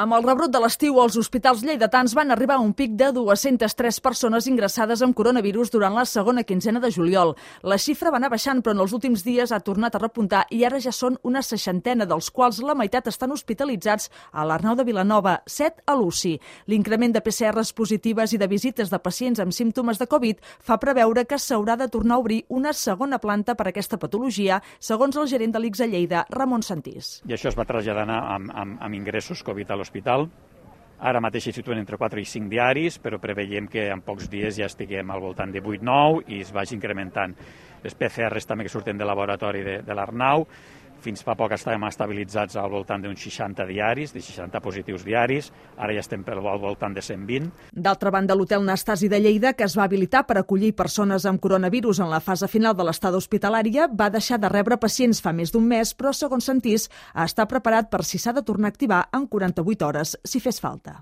Amb el rebrot de l'estiu, als hospitals lleidatans van arribar a un pic de 203 persones ingressades amb coronavirus durant la segona quinzena de juliol. La xifra va anar baixant, però en els últims dies ha tornat a repuntar i ara ja són una 60, dels quals la meitat estan hospitalitzats a l'Arnau de Vilanova, 7 a l'UCI. L'increment de PCRs positives i de visites de pacients amb símptomes de Covid fa preveure que s'haurà de tornar a obrir una segona planta per a aquesta patologia, segons el gerent de l'ICS a Lleida, Ramon Santís. I això es va traslladar amb ingressos Covid a l'hospital. Ara mateix s'hi situen entre 4 i 5 diaris, però preveiem que en pocs dies ja estiguem al voltant de 8-9 i es vagi incrementant. Les PCRs també que surten del laboratori de l'Arnau, fins fa poc estàvem estabilitzats al voltant d'uns 60 diaris, de 60 positius diaris, ara ja estem al voltant de 120. D'altra banda, l'Hotel Nastasi de Lleida, que es va habilitar per acollir persones amb coronavirus en la fase final de l'estada hospitalària, va deixar de rebre pacients fa més d'un mes, però, segons Santís, està preparat per si s'ha de tornar a activar en 48 hores, si fes falta.